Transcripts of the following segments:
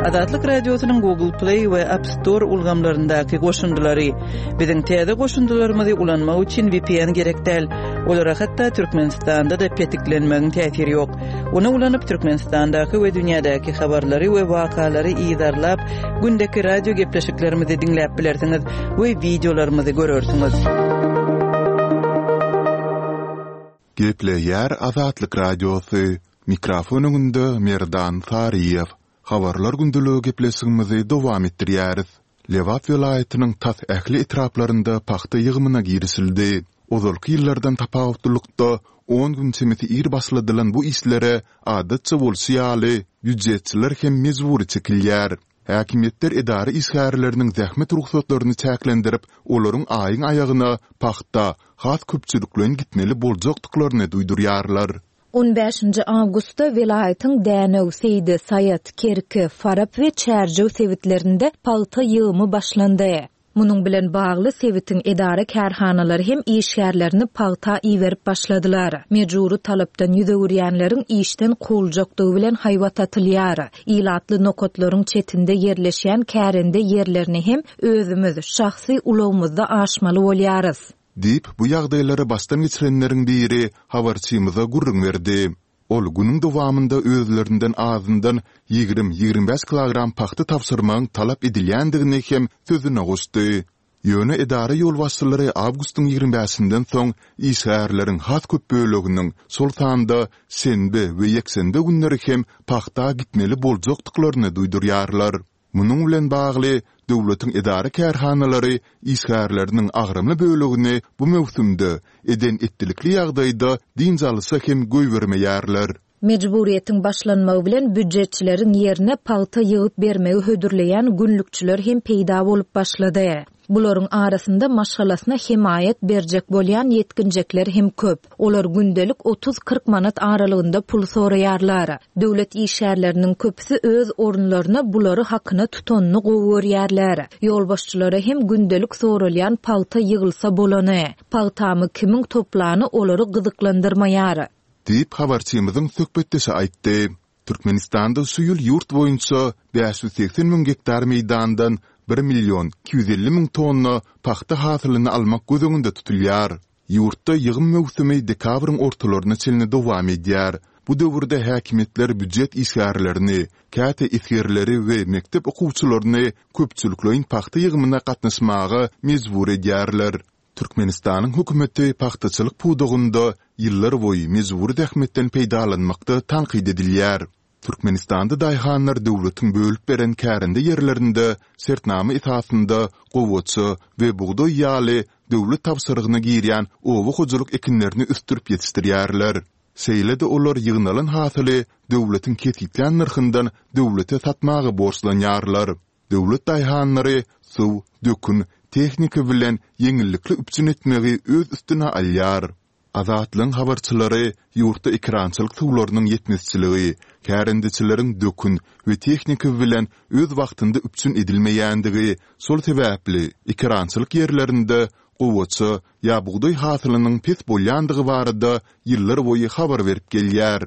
Azatlyk Radiosynyň Google Play we App Store ulgamlaryndaky goşundylary. Biziň täze goşundylarymyzy ulanmak üçin VPN gerek däl. Olara hatda Türkmenistanda-da petiklenmegiň täsiri ýok. Ony ulanyp Türkmenistandaky we dünýädäki habarlary we wakalary yzarlap, gündeki radio gepleşiklerimizi diňläp bilersiňiz we wideolarymyzy görersiňiz. Gepleýär Azatlyk Radiosy, Mikrofon öňünde Merdan Saryýew. Habarlar gündeligi gepleşigimizi dowam etdirýäris. Lebap welaýatynyň tas ähli etraplarynda pagta ýygymyna girişildi. Ozalky ýyllardan tapawutlylykda, on gün çemesi ir başladylan bu işlere, adatça bolşy ýaly, býujetçiler hem mejbury çekilýär. Häkimiýetler edara işgärleriniň zähmet rugsatlaryny çäklendirip, olaryň aýyň aýagyna pagta has köpçülikleýin gitmeli boljakdyklaryny duýdurýarlar. On bäşinji awgustda welaýatyň Dänew, Seýdi, Saýat, Kerki, Farap we Çärjew sebitlerinde pagta ýygymy başlandy. Munuň bilen bagly, sebitiň edara-kärhanalary hem işgärlerini pagta iberip başladylar. Mejbury talapdan ýüz öwürýänleriň işden kowuljakdygy bilen haýbat atylýar. Ilatly nokatlaryň çetinde ýerleşýän kärende ýerlerini hem özümiz, şahsy ulagymyzda aşmaly bolýarys. Diýip, bu ýagdaýlary başdan geçirenleriň biri habarçymyza gürrüň berdi. Ol günüň dowamynda özlerinden azyndan 20-25 kilogram pagta tabşyrmagyň talap edilýändigini hem sözüne goşdy. Ýöne edara ýolbaşçylary awgustyň ýigrimi bäşinden soň işgärleriň has köp böleginiň, şol sanda şenbe we ýekşenbe günleri hem pagta gitmeli boljakdyklaryny duýdurýarlar. Munuň bilen bagly, döwletiň edara-kärhanalary işgärleriniň agramly bölegini bu möwsümde eden-etdilikli ýagdaýda dynç alyşa hem goýbermeýärler. Mejburyýetiň başlanmagy bilen býujetçileriň ýerine pagta ýygyp bermegi hödürleýän günlükçiler hem peýda bolup başlady. Bularyň arasynda maşgalasyna hemaýat berjek bolýan ýetginjekler hem köp. Olar gündelik otuz-kyrk manat aralygynda pul soraýarlar. Döwlet işgärleriniň köpüsi öz orunlaryna bulary hakyna tutanyny gowy görýärler. Ýolbaşçylara hem gündelik soralýan pagta ýygylsa bolany. Pagtamy kimiň toplany olary gyzyklandyrmaýar. Diýip, habarçymyzyň söhbetdeşi aýtdy. Türkmenistanda şu ýyl ýurt boýunça 580 müň gektar meýdandan bir million 250 müň tonna pagta hasylyny almak göz öňünde tutulýar. Ýurtda ýygym möwsümi dekabryň ortalaryna çenli dowam edýär. Bu döwürde häkimiýetler býujet işgärlerini, käte esgerleri we mekdep okuwçylaryny köpçülikleýin pagta ýygymyna gatnaşmaga mejbur edýärler. Türkmenistanyň hökümeti pagtaçylyk pudagynda ýyllarboýy mejbury zähmetden peýdalanmakda tankyt edilýär. Türkmenistanda daýhanlar döwletiň bölüp beren kärende ýerlerinde şertnama esasynda gowaça we bugdaý ýaly döwlet tabşyrygyna girýän oba hojalyk ekinlerini ösdürip ýetişdirýärler. Şeýle-de olar ýygnalan hasyly döwletiň kesgitlän nyrhyndan döwlete satmaga borçlanýarlar. Döwlet daýhanlary suw, dökün, tehnika bilen ýeňillikli üpjün etmegi öz üstüne alýar. Azatlygyň habarçylary ýurtda ekerançylyk suwlarynyň ýetmezçiligi, kärendeçileriň dökün we tehnika bilen öz wagtynda üpjün edilmeýändigi, şol sebäpli ekerançylyk ýerlerinde gowaça ýa bugdaý hasylynyň pes bolýandygy barada ýyllarboýy habar berip gelýär.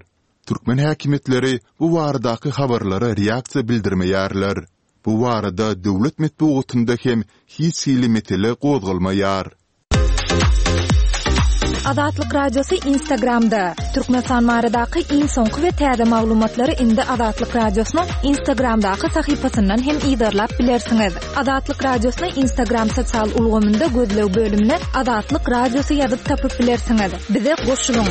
Türkmen häkimiýetleri bu baradaky habarlara reaksiýa bildirmeýärler. Bu barada döwlet metbugatynda hem hiç hili mesele gozgalmaýar. Azatlyk Radiosy Instagramda, Türkmenistan baradaky iň soňky we täze maglumatlary indi Azatlyk Radiosynyň Instagramdaky sahypasyndan hem yzarlap bilersiňiz. Azatlyk Radiosyny Instagram sosial ulgamynda gözleg bölümine Azatlyk Radiosy ýazyp tapyp bilersiňiz. Bize goşulyň!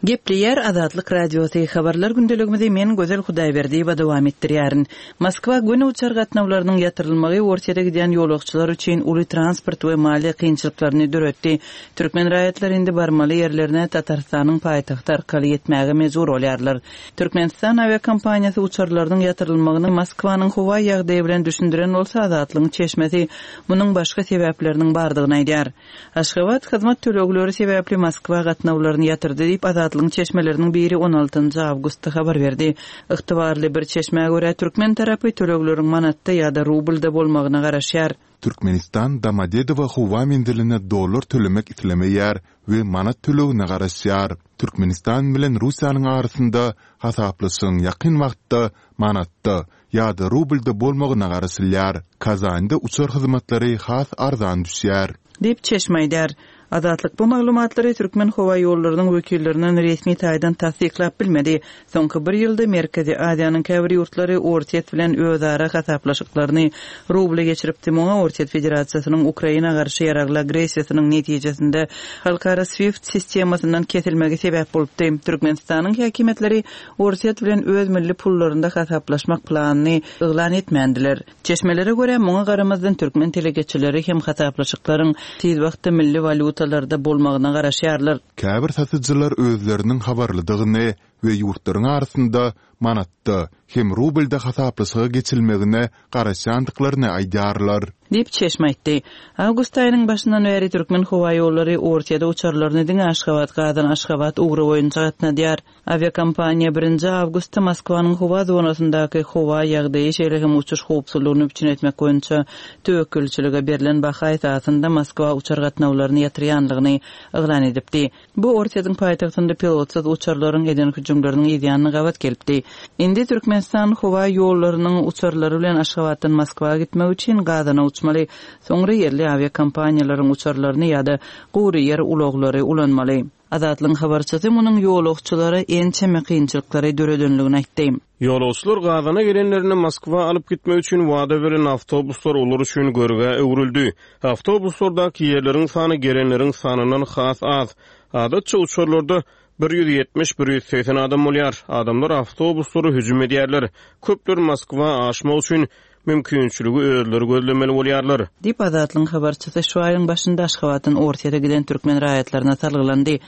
Gepleýär Azatlyk Radiosy, Habarlar gündeligimizi men Gözel Hudaýberdiýewa dowam etdirýärin. Moskwa göni uçar gatnawlarynyň ýatyrylmagy Orsýete gidýän ýolagçylar üçin uly transport we maliýe kynçylyklaryny döretdi. Türkmen raýatlary indi barmaly ýerlerine Tatarystanyň paýtagty arkaly ýetmäge mejbur bolýarlar. Türkmenistan awiakompaniýasy uçarlarynyň ýatyrylmagyny Moskwanyň howa ýagdaýy bilen düşündiren bolsa, Azatlygyň çeşmesi munuň başga sebäpleriniň bardygyny aýdýar. Aşgabat hyzmat tölegleri sebäpli Moskwa gatnawlaryny ýatyrdy diýip, Azatlygyň çeşmeleriniň biri on altynjy awgustda habar berdi. Ygtybarly bir çeşmä görä, türkmen tarapy tölegleriň manatda ýa-da rublda bolmagyna garaşýar. Türkmenistan Domodedowo howa menziline dollar tölemek islemeýär we manat tölegine garaşýar. Türkmenistan bilen Russiýanyň arasynda hasaplaşygyň ýakyn wagtda manatda ýa-da rublda bolmagyna garaşylýar. Kazanda uçar hyzmatlary has arzan düşýär. Diýip, çeşme aýdýar. Azatlyk bu maglumatlary Türkmenhowaýollarynyň wekillerinden resmi taýdan tassyklap bilmedi. Soňky bir ýylda Merkezi Aziýanyň käbir ýurtlary Orsýet bilen özara hasaplaşyklaryny rubla geçiripdi. Muňa Orsýet Federasiýasynyň Ukraina garşy ýaragly agressiýasynyň netijesinde halkara SWIFT sistemasyndan kesilmegi sebäp bolupdy. Türkmenistanyň häkimiýetleri Orsýet bilen öz milli pullarynda hasaplaşmak planyny yglan etmändiler. Çeşmelere görä, muňa garamazdan türkmen telekeçileri hem hasaplaşyklaryň tiz wagtda milli walýutalarda bolmagyna garaşýarlar. Käbir satyjylar özleriniň habarlydygyny we ýurtlaryň arasynda manatda hem rublda hasaplaşyga geçilmegine garaşýandyklaryny aýdýarlar. Diýip, çeşme aýtdy. Awgust aýynyň başyndan bäri Türkmenhowaýollary Orsýede uçarlaryny diňe Aşgabat-Gazan-Aşgabat ugry boýunça gatnadýar. Awiakompaniýa birinji awgustda Moskwanyň howa zonasyndaky howa ýagdaýy, şeýle hem uçuş howpsuzlygyny üpjün etmek boýunça töwekgelçilige berlen baha esasynda Moskwa uçar gatnawlaryny ýatyrýanlygyny yglan edipdi. Bu Orsýetiň paýtagtynda pilotsyz uçarlaryň eden hüjümleriniň yzýanyna gabat gelipdi. Indi Türkmenistan howa ýollarynyň uçarlary bilen Aşgabatdan Moskwa gitmek üçin Gazana uçmaly, soňra ýerli awiakompaniýalaryň uçarlaryny ýa-da gury ýer ulaglary ulanmaly. Azatlygyň habarçysy munuň ýolagçylara ençeme kynçylyklary döredenligini aýtdy. Ýolagçylar Gazana gelenlerinde Moskwa alyp gitmek üçin wada berlen awtobuslar olar üçin görgä öwrüldi. Awtobuslardaky ýerleriň sany gelenleriň sanyndan has az. Adatça uçarlarda 170, 180 adam bolýar. Adamlar awtobuslara hüjüm edýärler. Köpler Moskwa aşmak üçin Mümkinçiligi özleri gözlemeli bolýarlar. Diýip, Azatlygyň habarçysy şu aýyň başynda Aşgabatdan Orsýete giden türkmen raýatlaryna salgylandy.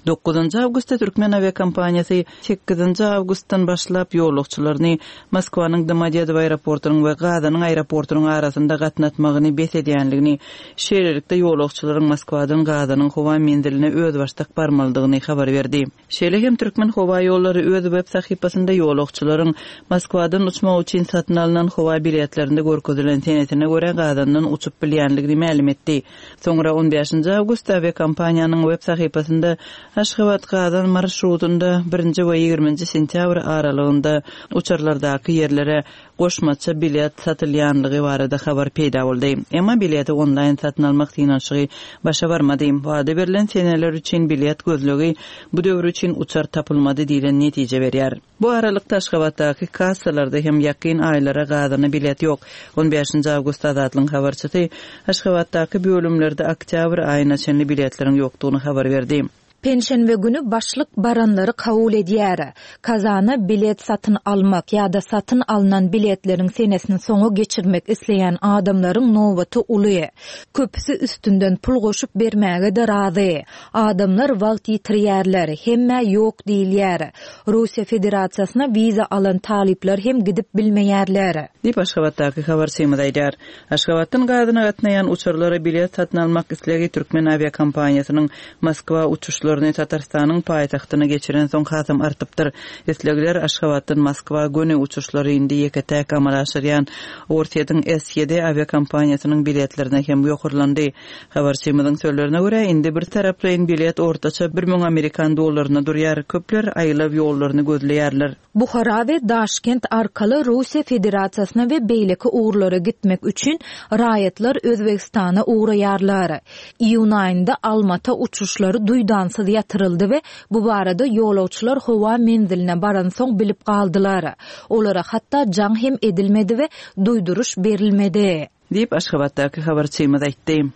Dokuzynjy awgustda türkmen awiakompaniýasy sekizinji awgustdan başlap ýolagçylaryny Moskwanyň Domodedowo aeroportunyň we Gazanyň aeroportunyň arasynda gatnatmagyny bes edýänligini, şeýlelikde ýolagçylaryň Moskwadan Gazanyň howa menziline özbaşdak barmalydygyny habar berdi. Şeýle hem Türkmenhowaýollary öz web sahypasynda ýolagçylaryň Moskwadan uçmak üçin satyn alnan howa biletlerinde görkezilen senesine görä Gazandan uçup bilýänligini mälim etdi. Soňra on bäşinji awgustda awiakompaniýanyň web sahypasynda Aşgabat-Gazan marşrutynda birinji we ýigriminji sentýabr aralygynda uçarlardaky ýerlere goşmaça bilet satylýanlygy barada habar peýda boldy. Emma bileti onlaýn satyn almak synanyşygy başa barmady. Wada berlen seneler üçin bilet gözlegi bu döwür üçin uçar tapylmady diýlen netije berýär. Bu aralykda Aşgabatdaky kassalarda hem ýakyn aýlara gazana bilet ýok. On bäşinji awgustda Azatlygyň habarçysy Aşgabatdaky bölümlerde oktýabr aýyna çenli biletleriň ýokdugyny habar berdi. Penşenbe güni başlyk baranlary kabul edýär. Kazana bilet satyn almak ýa-da satyn alnan biletleriň senesini soňa geçirmek isleýän adamlaryň nobaty uly. Köpüsi üstünden pul goşup bermäge-de razy. Adamlar wagt ýitirýärler, hemmä ýok diýilýär. Russiýa Federasiýasyna wiza alan talyplar hem gidip bilmeýärler. Diýip, Aşgabatdaky habarçymyz aýdýar. Aşgabatdan Gazana gatnaýan uçarlara bilet satyn almak islegi türkmen awiakompaniýasynyň Moskwa uçuşlaryny Tatarystanyň paýtagtyna geçirensoň hasam artypdyr. Islegler Aşgabatdan Moskwa göni uçuşlary indi ýeke-täk amala aşyrýan Orsýetiň SYD awiakompaniýasynyň biletlerine hem ýokarlandy. Habarçymyzyň sözlerine görä, indi bir taraplaýyn bilet ortaça 1000 amerikan dollaryna durýar. Köpler aýlaw ýollaryny gözleýärler. Buhara we Daşkent arkaly Russiýa Federasiýasyna we beýleki ugurlara gitmek üçin raýatlar Özbegistana ugraýarlar. Iýun aýynda Almata uçuşlary duýdansyz ýatyryldy we bu barada ýolagçylar howa menziline baransoň bilip galdylar. Olara hatda jaň hem edilmedi we duýduryş berilmedi. Diýip, Aşgabatdaky habarçymyz aýtdy.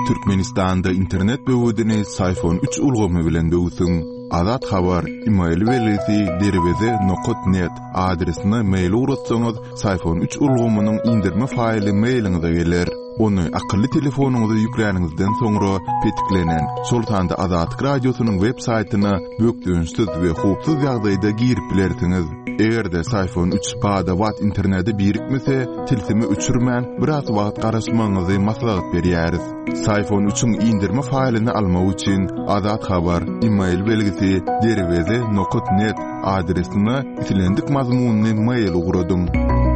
Türkmenistanda internet böwedini Syfon üç ulgamy bilen böwsüň. Azat Habar, email belgisi derweze nokat net adresine mail ugratsaňyz, Syfon üç ulgamynyň indirme faýly mailiňize geler. Ony akylly telefonyňyza ýükläniňizden soňra petiklenen, şol sanda Azatlyk Radiosynyň web saýtyna bökdençsiz we howpsuz ýagdaýda girip bilersiňiz. Eger-de Syfon üç bada-bat internete birikmese, tilsimi öçürmän, biraz wagt garaşmagyňyzy maslahat berýäris. Syfon üçiň indirme faýlyny almak üçin Azat Habar, email belgisi, derweze nokat net adresine islendik mazmunly mail ugradyň.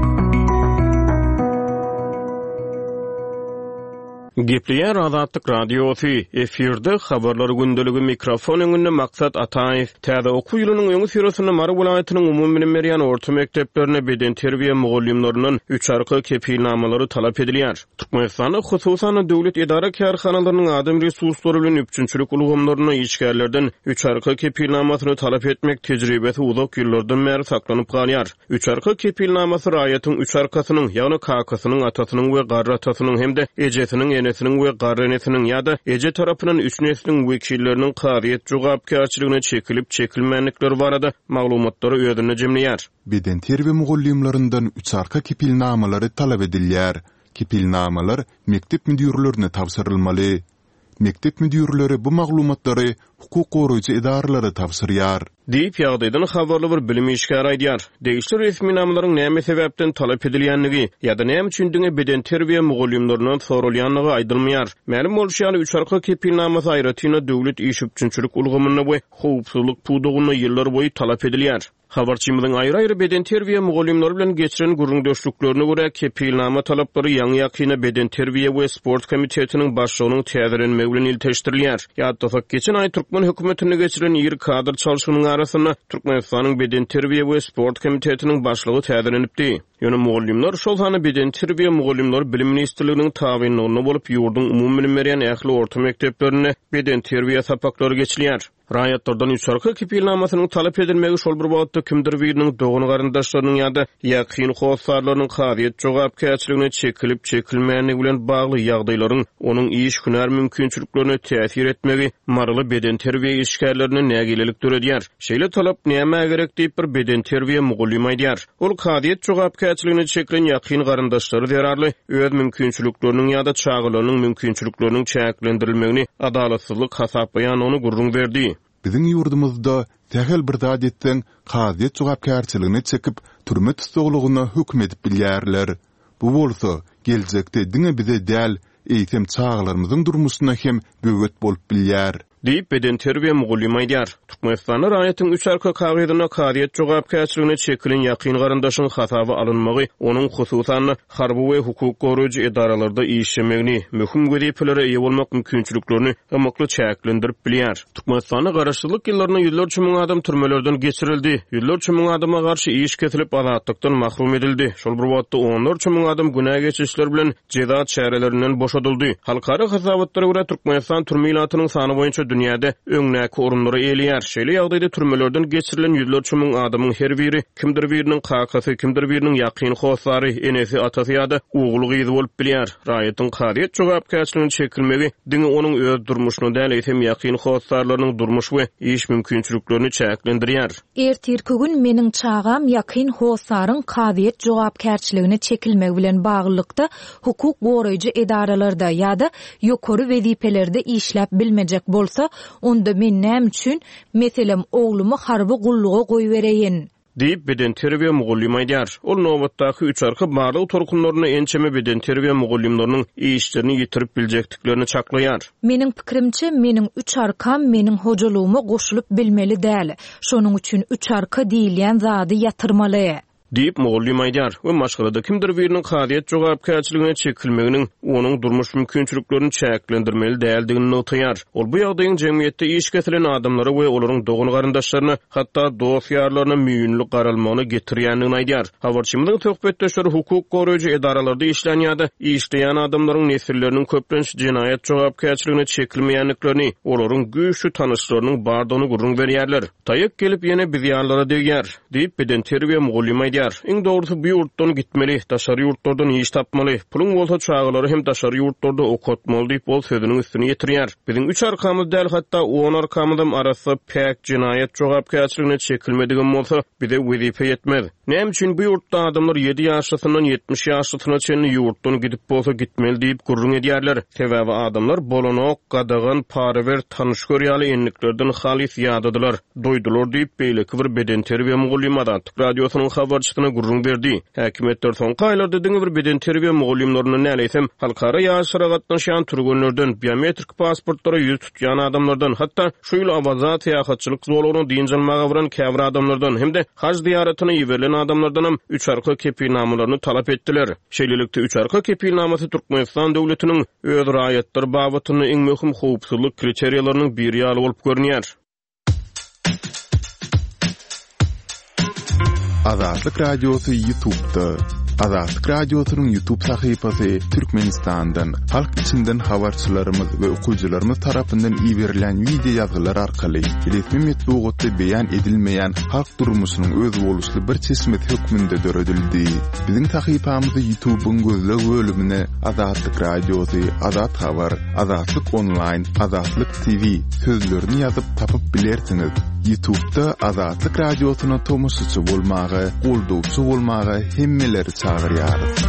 Gepleýär Azatlyk Radiosy, efirde Habarlar gündeligi, mikrofon öňünde Maksat Ataýew. Täze okuw ýylynyň öňüsyrasynda Mary welaýatynyň umumybilim berýän orta mekdeplerinde bedenterbiýe mugallymlaryndan üçarka kepilnamalary talap edilýär. Türkmenistanda, hususan-da, döwlet edara-kärhanalarynyň adam resurslary bilen üpjünçilik ulgamlarynda işgärlerden üçarka kepilnamasyny talap etmek tejribesi uzak ýyllardan bäri saklanyp galýar. Üçarka kepilnamasy raýatyň üç arkasynyň, ýagny kakasynyň, atasynyň we garry atasynyň hem-de ejesiniň, enesiniň we garry enesiniň ýa-da eje tarapyndan üç nesliň wekilleriniň kazyýet jogapkärçiligine çekilip-çekilmändikleri barada maglumatlary özünde jemleýär. Bedenterbiýe mugallymlaryndan üçarka kepilnamalary talap edilýär. Kepilnamalar mekdep müdirlerine tabşyrylmaly. Mekdep müdirleri bu maglumatlary hukuk goraýjy edaralara tabşyrýar. Diýip, ýagdaýdan habarly bir bilim işgäri aýdýar. Degişli resminamalaryň näme sebäpden talap edilýändigi ýa-da näme üçin diňe bedenterbiýe mugallymlaryndan soralýandygy aýdylmaýar. Mälim bolşy ýaly, üç arka kepilnamasy aýratyn-da döwlet iş üpjünçilik ulgamynda we howpsuzlyk pudagynda ýyllarboýy talap edilýär. Habarçymyzyň aýry-aýry bedenterbiýe mugallymlary bilen geçiren gürrüňdeşliklerine görä, kepilnama talaplary ýaňy-ýakynda Bedenterbiýe we sport komitetiniň başlygynyň täzelenmegi bilen ilteşdirilýär. Ýatlasak, geçen aý türkmen hökümetinde geçirilen iri kadr çalşygynyň arasynda Türkmenistanyň Bedenterbiýe we sport komitetiniň başlygy täzelenipdi. Ýöne mugallymlar, şol sanda bedenterbiýe mugallymlary Bilim ministrliginiň tabynlygynda bolup, ýurduň umumybilim berýän ähli orta mekdeplerinde bedenterbiýe sapaklary geçilýär. Raýatlardan üçarka kepilnamasynyň talap edilmegi şol bir wagtda kimdir biriniň dogan-garyndaşlarynyň ýa-da ýakyn hossarlarynyň kazyýet jogapkärçiligine çekilip-çekilmändigi bilen bagly ýagdaýlaryň onuň iş-hünär mümkinçiliklerine täsir etmegi maryly bedenterbiýe işgärlerinde nägilelik döredýär. Şeýle talap nämä gerek diýip, bir bedenterbiýe mugallymy aýdýar. Ol kazyýet jogapkärçiligine çekilen ýakyn garyndaşlary zerarly öz mümkinçilikleriniň ýa-da çagalarynyň mümkinçilikleriniň çäklendirilmegini adalatsyzlyk hasaplaýandygyny gürrüň berdi. Biziň ýurdumyzda sähel bir zat etseň, kazyýet jogapkärçiligine çekip, türme tussaglygyna höküm edip bilýärler. Bu bolsa, geljekde diňe bize däl, eýsem çagalarymyzyň durmuşyna hem böwet bolup bilýär. Diýip, bedenterbiýe mugallymy aýdýar. Türkmenistanda raýatyň üç arka kagyzynda kazyýet jogapkärçiligine çekilen ýakyn garyndaşyň hasaba alynmagy onuň, hususan-da, harby we hukuk goraýjy edaralarda işlemegini, möhüm wezipelere eýe bolmak mümkinçiliklerini ymykly çäklendirip bilýär. Türkmenistanda garaşsyzlyk ýyllarynda ýüzlerçe müň adam türmelerden geçirildi, ýüzlerçe müň adama garşy iş kesilip, azatlykdan mahrum edildi. Şol bir wagtda, onlarça müň adam günä geçişler bilen jeza çärelerinden boşadyldy. Halkara hasabatlara görä, Türkmenistan türme ilatynyň sany boýunça dünýäde öňdäki orunlary eýeleýär. Şeýle ýagdaýda türmelerden geçirilen ýüzlerçe müň adamyň her biri kimdir biriniň kakasy, kimdir biriniň ýakyn hossary, enesi, atasy ýa-da ogly-gyzy bolup bilýär. Raýatyň kazyýet jogapkärçiligine çekilmegi diňe onuň öz durmuşyny däl, eýsem ýakyn hossarlarynyň durmuş we iş mümkinçiliklerini çäklendirýär. Ertirki gün meniň çagam ýakyn hossaryň kazyýet jogapkärçiligine çekilmegi bilen baglylykda hukuk goraýjy edaralarda ýa-da ýokary wezipelerde işläp bilmejek bolsa, onda men näme üçin, meselem, oglumy harby gulluga goýbereýin? Diýip, bedenterbiýe mugallymy aýdýar. Ol nobatdaky üçarka barlag tolkunlarynda ençeme bedenterbiýe mugallymlarynyň işlerini ýitirip biljekdiklerini çaklaýar. Meniň pikirimçe, meniň üç arkam meniň hojalygyma goşulyp bilmeli däl. Şonuň üçin üç arka diýilýän zady ýatyrmaly. Diýip, mugallym aýdýar we maşgalada kimdir biriniň kazyýet jogapkärçiligine çekilmeginiň onuň durmuş mümkinçiliklerini çäklendirmeli däldigini nygtaýar. Ol bu ýagdaýyň jemgyýetde iş kesilen adamlara we olaryň dogan-garyndaşlaryna, hatda dost-ýarlaryna müýnli garalmagyna getirýändigini aýdýar. Habarçymyzyň söhbetdeşleri hukuk goraýjy edaralarda işlän ýa-da işleýän adamlaryň nesilleriniň köplenç jenaýat jogapkärçiligine çekilmeýändiklerini, olaryň güýçli tanyşlarynyň bardygyny gürrüň berýärler. Taýak gelip ýene biz ýalylara degýär, diýip, bedenterbiýe mugallymy aýdýar. Iň dogrusy bu ýurtdan gitmeli, daşary ýurtlardan iş tapmaly, puluň bolsa çagalary hem daşary ýurtlarda okatmaly diýip, ol sözüniň üstüni ýetirýär. Biziň üç arkamyz däl, hatda on arkamyzam arassa, päk, jenaýat jogapkärçiligine çekilmedigem bolsa, bize wezipe ýetmez. Näme üçin bu ýurtda adamlar ýedi ýaşlysyndan 70 ýaşlysyna çenli ýurtdan gidip bolsa gitmeli diýip gürrüň edýärler? Sebäbi adamlar bolanok, gadagan, para ber, tanyş gör ýaly endiklerden halys ýadadylar, doýdular diýip, beýleki bir bedenterbiýe mugallymy Azatlyk Radiosynyň habarçysyna. habarçysyna gürrüň berdi. Häkimiýetler soňky aýlarda diňe bir bedenterbiýe mugallymlaryndan däl, eýsem, halkara ýaryşlara gatnaşýan türgenlerden, biometrik pasportlara ýüz tutýan adamlardan, hatda şu ýyl Awaza syýahatçylyk zolagyna dynç almaga baran käbir adamlardan hem-de haj zyýaratyna iberilen adamlardanam üç arka kepilnamalaryny talap etdiler. Şeýlelikde, üç arka kepilnamasy Türkmenistan döwletiniň öz raýatlary babatynda iň möhüm howpsuzlyk kriteriýalarynyň biri ýaly bolup görünýär. Azatlyk Radiosy Ýutubda. Azatlyk Radiosynyň Ýutub sahypasy Türkmenistandan, halk içinden habarçylarymyz we okyjylarymyz tarapyndan iberilen wideo ýazgylar arkaly resmi metbugatda beýan edilmeýän halk durmuşynyň özboluşly bir çeşmesi hökmünde döredildi. Biziň sahypamyzy Ýutubyň gözleg bölümine Azatlyk Radiosy, Azat Habar, Azatlyk Onlaýn, Azatlyk TV sözlerini ýazyp tapyp bilersiňiz. Ýutubda Azatlyk Radiosyna tomaşaçy bolmaga, goldawçy bolmaga hemmeleri çagyrýarys.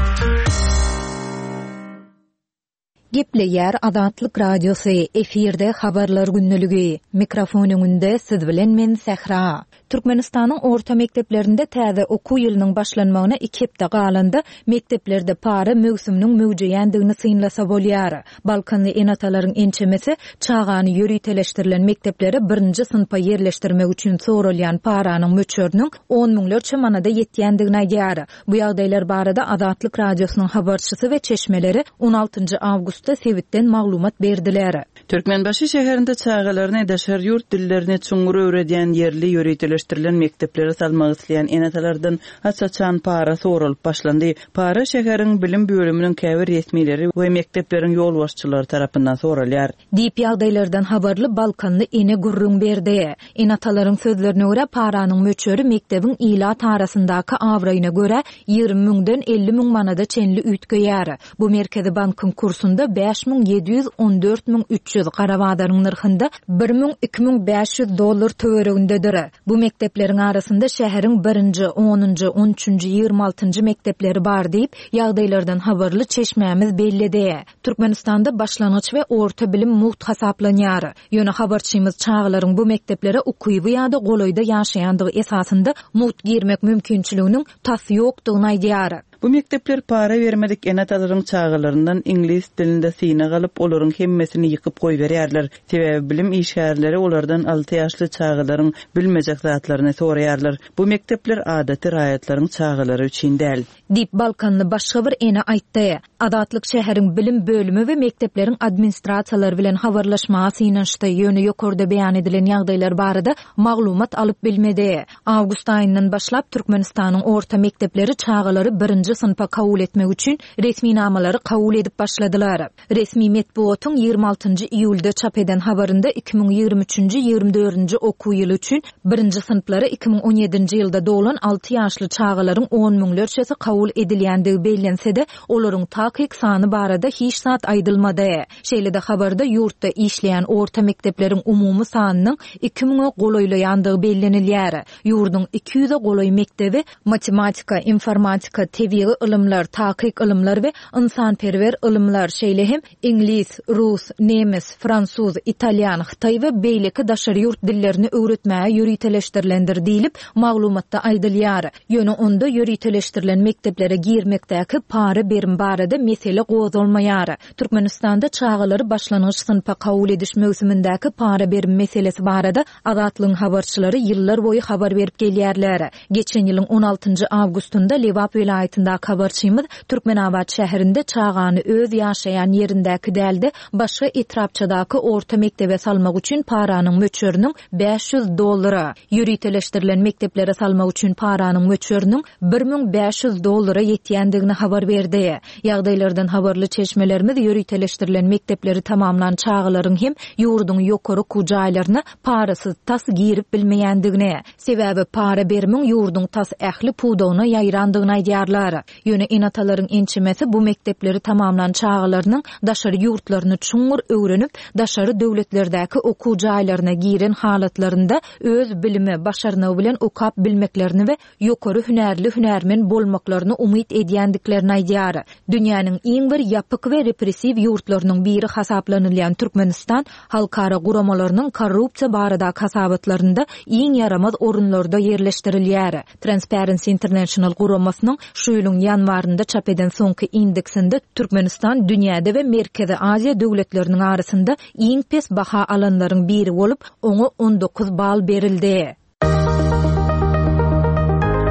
Gepleýär Azatlyk Radiosy, efirde Habarlar gündeligi. Mikrofon öňünde siz bilen men Sähra. Türkmenistanyň orta mekdeplerinde täze okuw ýylynyň başlanmagyna iki hepde galanda, mekdeplerde para möwsüminiň möwjeýändigini synlasa bolýar. Balkanly ene-atalaryň ençemesi çagany ýöriteleşdirilen mekdeplere birinji synpa ýerleşdirmek üçin soralýan paranyň möçberiniň on müňlerçe manada ýetýändigini aýdýar. Bu ýagdaýlar barada Azatlyk Radiosynyň habarçysy we çeşmeleri on altynjy awgustda sebitden maglumat berdiler. Türkmenbaşy şäherinde çagalaryny daşary ýurt dillerini çuňňur öwredýän ýerli ýöriteleşdirilen mekdeplere salmak isleýän ene-atalardan aç-açan para soralyp başlandy. Para şäheriň bilim bölüminiň käbir resmileri we mekdepleriň ýolbaşçylary tarapyndan soralýar. Diýip, ýagdaýlardan habarly balkanly ene gürrüň berdi. Ene-atalaryň sözlerine görä, paranyň möçberi mekdebiň ilat arasyndaky abraýyna görä 20 müňden 50 müň manada çenli üýtgeýär. Bu Merkezi bankyň kursunda 5714 müň 300, gara bazaryň nyrhynda bir müň 2500 dollar töweregindedir. Bu mekdepleriň arasynda şäheriň birinji, onunjy, on üçünji, 20 altynjy mekdepleri bar diýip, ýagdaýlardan habarly çeşmämiz belledi. Türkmenistanda başlangyç we orta bilim mugt hasaplanýar. Ýöne habarçymyz çagalaryň bu mekdeplere ukyby ýa-da golaýda ýaşaýandygy esasynda mugt girmek mümkinçiliginiň tas ýokdugyny aýdýar. Bu mekdepler para bermedik ene-atalaryň çagalaryndan iňlis dilinde synag alyp, olaryň hemmesini ýykyp goýberýärler. Sebäbi bilim işgärleri olardan alty ýaşly çagalaryň bilmejek zatlaryny soraýarlar. Bu mekdepler adaty raýatlaryň çagalary üçin däl. Diýip, balkanly başga bir ene aýtdy. Azatlyk şäheriň bilim bölümi we mekdepleriň administrasiýalary bilen habarlaşmaga synanyşdy, ýöne ýokarda beýan edilen ýagdaýlar barada maglumat alyp bilmedi. Awgust aýyndan başlap Türkmenistanyň orta mekdepleri çagalary birinji synpa kabul etmek üçin resminamalary kabul edip başladylar. Resmi metbugatyň 26 njy iýulda çap eden habarynda 2023-nji, 24-nji okuw ýyly üçin birinji synplara 2017-nji ýylda doglan alty ýaşly çagalaryň on müňlerçesi kabul edilýändigi bellense-de, olaryň takyk sany barada hiç zat aýdylmady. Şeýle-de habarda ýurtda işleýän orta mekdepleriň umumy sanynyň iki müňe golaýlaýandygy bellenilýär. Ýurduň iki ýüze golaý mekdebi matematika, informatika, tebigy ylymlar, takyk ylymlar we ynsanperwer ylymlar, şeýle hem iňlis, rus, nemes, fransuz, italýan, hytaý we beýleki daşary ýurt dillerini öwretmäge ýöriteleşdirilendir diýlip, maglumatda aýdylýar. Ýöne onda ýöriteleşdirilen mekdeplere girmekdäki para-berim barada mesele gozgalmaýar. Türkmenistanda çagalary başlangyç synpa kabul ediş möwsümindäki para-berim meselesi barada Azatlygyň habarçylary ýyllar boýy habar berip gelýärler. Geçen ýylyň on altynjy awgustynda Lebap welaýatyndaky habarçymyz Türkmenabat şäherinde çagany öz ýaşaýan ýerindäki däl-de, başga etrapçadaky orta mekdebe salmak üçin paranyň möçberiniň 500 dollara, ýöriteleşdirilen mekdeplere salmak üçin paranyň möçberiniň 1500 dollara ýetýändigini habar berdi. Ýagdaýlardan habarly çeşmelerimiz ýöriteleşdirilen mekdepleri tamamlan çagalaryň hem ýurduň ýokary okuw jaýlaryna parasyz tas girip bilmeýändigini, sebäbi para berimiň ýurduň tas ähli pudagyna ýaýrandygyny aýdýarlar. Ýöne ene-atalaryň ençemesi bu mekdepleri tamamlan çagalarynyň daşary ýurtlaryny çuňňur öwrenip, daşary döwletlerdäki okuw jaýlaryna giren halatlarynda öz bilimi, başarnygy bilen okap bilmeklerini we ýokary hünärli hünärmen bolmaklaryny umyt edýändiklerini aýdýar. Dünýäniň iň bir ýapyk we repressiw ýurtlarynyň biri hasaplanylýan Türkmenistan halkara guramalarynyň korrupsiýa baradaky hasabatlarynda iň ýaramaz orunlarda ýerleşdirilýär. Transparency International guramasynyň şu ýylyň ýanwarynda çap eden soňky indeksinde Türkmenistan dünýäde we Merkezi Aziýa döwletleriniň arasynda iň pes baha alanlaryň biri bolup, oňa 19 bal berildi.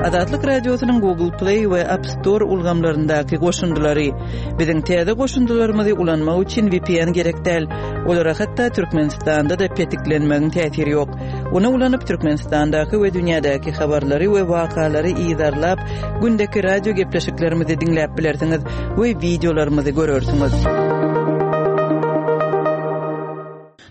Azatlyk Radiosynyň Google Play we App Store ulgamlaryndaky goşundylary. Biziň täze goşundylarymyzy ulanmak üçin VPN gerek däl. Olara hatda Türkmenistanda-da petiklenmegiň täsiri ýok. Ony ulanyp Türkmenistandaky we dünýädäki habarlary we wakalary yzarlap, gündeki radio gepleşiklerimizi diňläp bilersiňiz we wideolarymyzy görersiňiz.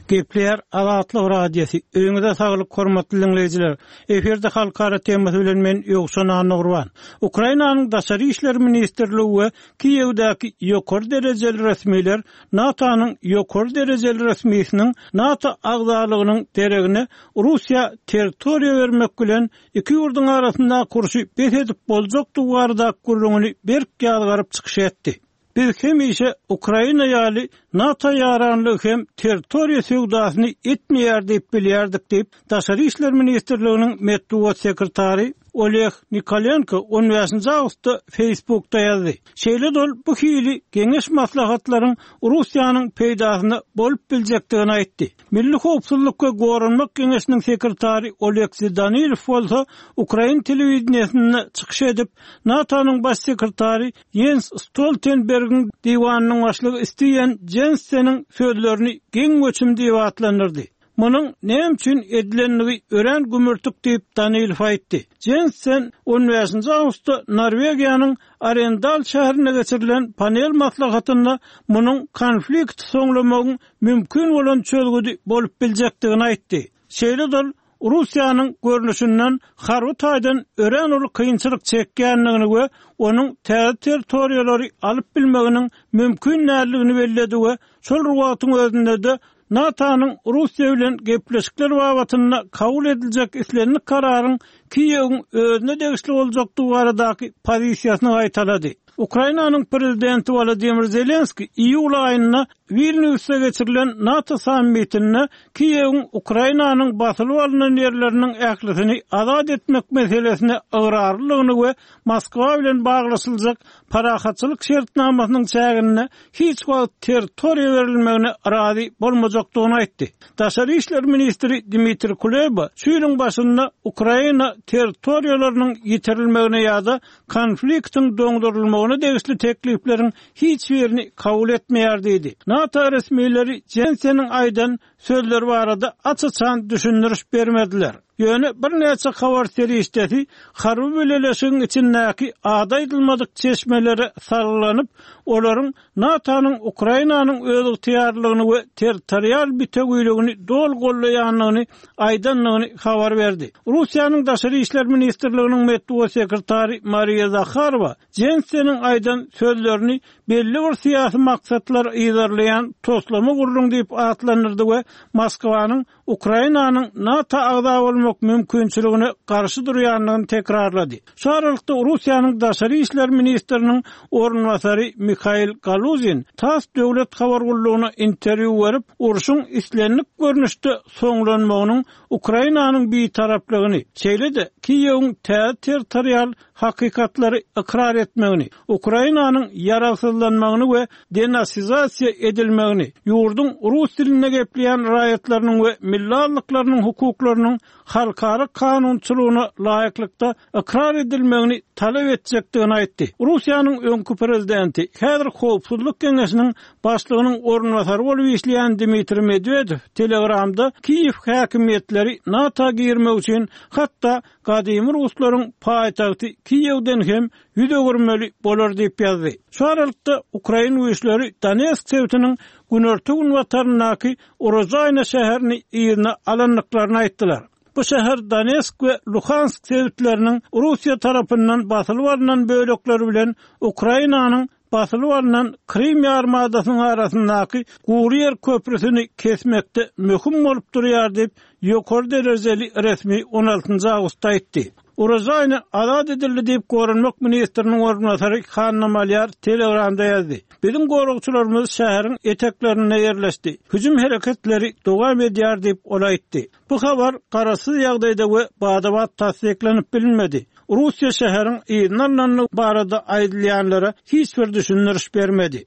Gepleýär Azatlyk Radiosy, Öýüňize saglyk hormatly diňleýjiler! Efirde halkara temasy bilen men Ýowşan Annagurban. Ukrainanyň Daşary işler ministrligi we Kiýewdäki ýokary derejeli resmiler NATO-nyň ýokary derejeli resmisiniň NATO agzalygynyň deregine Russiýa territoriýa bermek bilen iki ýurduň arasyndaky urşy bes edip boljakdygy baradaky gürrüňini berk ýazgaryp çykyş etdi. Biz hemişe Ukraina ýaly NATO ýaranlygy hem territoriýa söwdasyny etmeýär diýip bilýärdik diýip, Daşary işler ministrliginiň metbugat sekretary Oleg Nikolenko on bäşinji awgustda Facebookda ýazdy. Şeýle-de ol bu hili geňeş-maslahatlaryň Russiýanyň peýdasyna bolup biljekdigini aýtdy. Milli howpsuzlyk we goranmak geňeşiniň sekretary Oleksiý Danilow bolsa ukrain telewideniýesinde çykyş edip, NATO-nyň baş sekretary Ýens Stoltenbergiň diwanynyň başlygy Stiýen Jenseniň sözlerini geň göçüm diýip atlandyrdy. Munuň näme üçin edilendigi örän gümürtik diýip, Danilow aýtdy. Jensen on bäşinji awgustda Norwegiýanyň Arendal şäherinde geçirilen panel maslahatynda munuň konflikti soňlamagyň mümkin bolan çözgüdi bolup biljekdigini aýtdy. Şeýle-de ol Russiýanyň görnüşinden harby taýdan örän uly kynçylyk çekýändigini we onuň täze territoriýalary alyp bilmeginiň mümkin däldigini belledi we şol bir wagtyň özünde-de NATO-nyň Russiýa bilen gepleşikler babatynda kabul ediljek islendik kararyň Kiýewiň özüne degişli boljakdygy baradaky pozisiýasyny gaýtalady. Ukrainanyň prezidenti Wolodymyr Zelenskiý iýul aýynda Wilnýusda geçirilen NATO sammitinde Kiýewiň Ukrainanyň basylyp alnan ýerleriniň ählisini azat etmek meselesine ygrarlydygyny we Moskwa bilen baglaşyljak parahatçylyk şertnamasynyň çäginde hiç wagt territoriýa berilmegine razy bolmajakdygyny aýtdy. Daşary işler ministri Dmitriý Kuleba şu ýylyň başynda Ukraina territoriýalarynyň ýitirilmegine ýa-da konfliktiň doňdurylmagyna degişli teklipleriň hiç birini kabul etmeýär diýdi. NATO resmileri Jenseniň aýdan sözleri barada aç-açan düşündiriş bermediler. Ýöne birnäçe habar serişdesi harby bileleşigiň içindäki ady aýdylmadyk çeşmelere salgylanyp, olaryň NATO-nyň Ukrainanyň özygtyýarlylygyny we territorial bitewiligini doly goldaýandygyny aýdandygyny habar berdi. Russiýanyň Daşary işler ministrliginiň metbugat sekretary Mariýa Zaharowa Jenseniň aýdan sözlerini belli bir syýasy maksatlary yzarlaýan toslama gürrüň diýip atlandyrdy we Moskwanyň Ukrainanyň NATO agza bolmak mümkinçiligine garşy durýandygyny tekrarlady. Şu aralykda Russiýanyň daşary işler ministriniň orunbasary Mihail Galuzin tass döwlet habar gullugyna interwýu berip, urşuň islendik görnüşde soňlanmagynyň Ukrainanyň bitaraplygyny, şeýle-de Kiýewiň täze territorial hakykatlary ykrar etmegini, Ukrainanyň ýaragsyzlanmagyny we denasizasiýa edilmegini, ýurduň rus dilinde gepleýän raýatlarynyň we milli azlyklarynyň hukuklarynyň halkara kanunçylygyna laýyklykda ykrar edilmegini talap etjekdigini aýtdy. Russiýanyň öňki prezidenti, häzir Howpsuzlyk geňeşiniň başlygynyň orunbasary bolup işleýän Dmitriý Medwedew Telegramda Kiýew häkimiýetleri NATO girmek üçin hatda gadymy ruslaryň paýtagty Kiýewden hem ýüz öwürmeli bolar diýip ýazdy. Şu aralykda, ukrain güýçleri Donetsk sebitiniň günorta-günbataryndaky Urožaýna şäherini yzyna alandyklaryny aýtdylar. Bu şäher Donetsk we Luhansk sebitleriniň Russiýa tarapyndan basylyp alnan bölekleri bilen Ukrainanyň basylyp alnan Krym ýarymadasynyň arasyndaky gury ýer köprüsini kesmekde möhüm bolup durýar diýip, ýokary derejeli resmi on altynjy awgustda aýtdy. Urožaýny azat edildi diýip, goranmak ministriniň orunbasary Hanna Malýar Telegramda ýazdy. Biziň goragçylarymyz şäheriň eteklerinde ýerleşdi. Hüjüm hereketleri dowam edýär diýip, ol aýtdy. Bu habar garaşsyz ýagdaýda we bada-bat tassyklanyp bilinmedi. Russiýa şäheriň yzyna alnandygy barada aýdylýanlara hiç bir düşündiriş bermedi.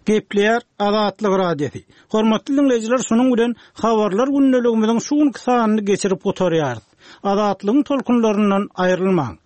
Gepleýär Azatlyk Radiosy. Hormatly diňleýjiler, şunuň bilen Habarlar gündeligimiziň şu günki sanyny geçirip gutarýarys. Azatlygyň tolkunlaryndan aýrylmaň!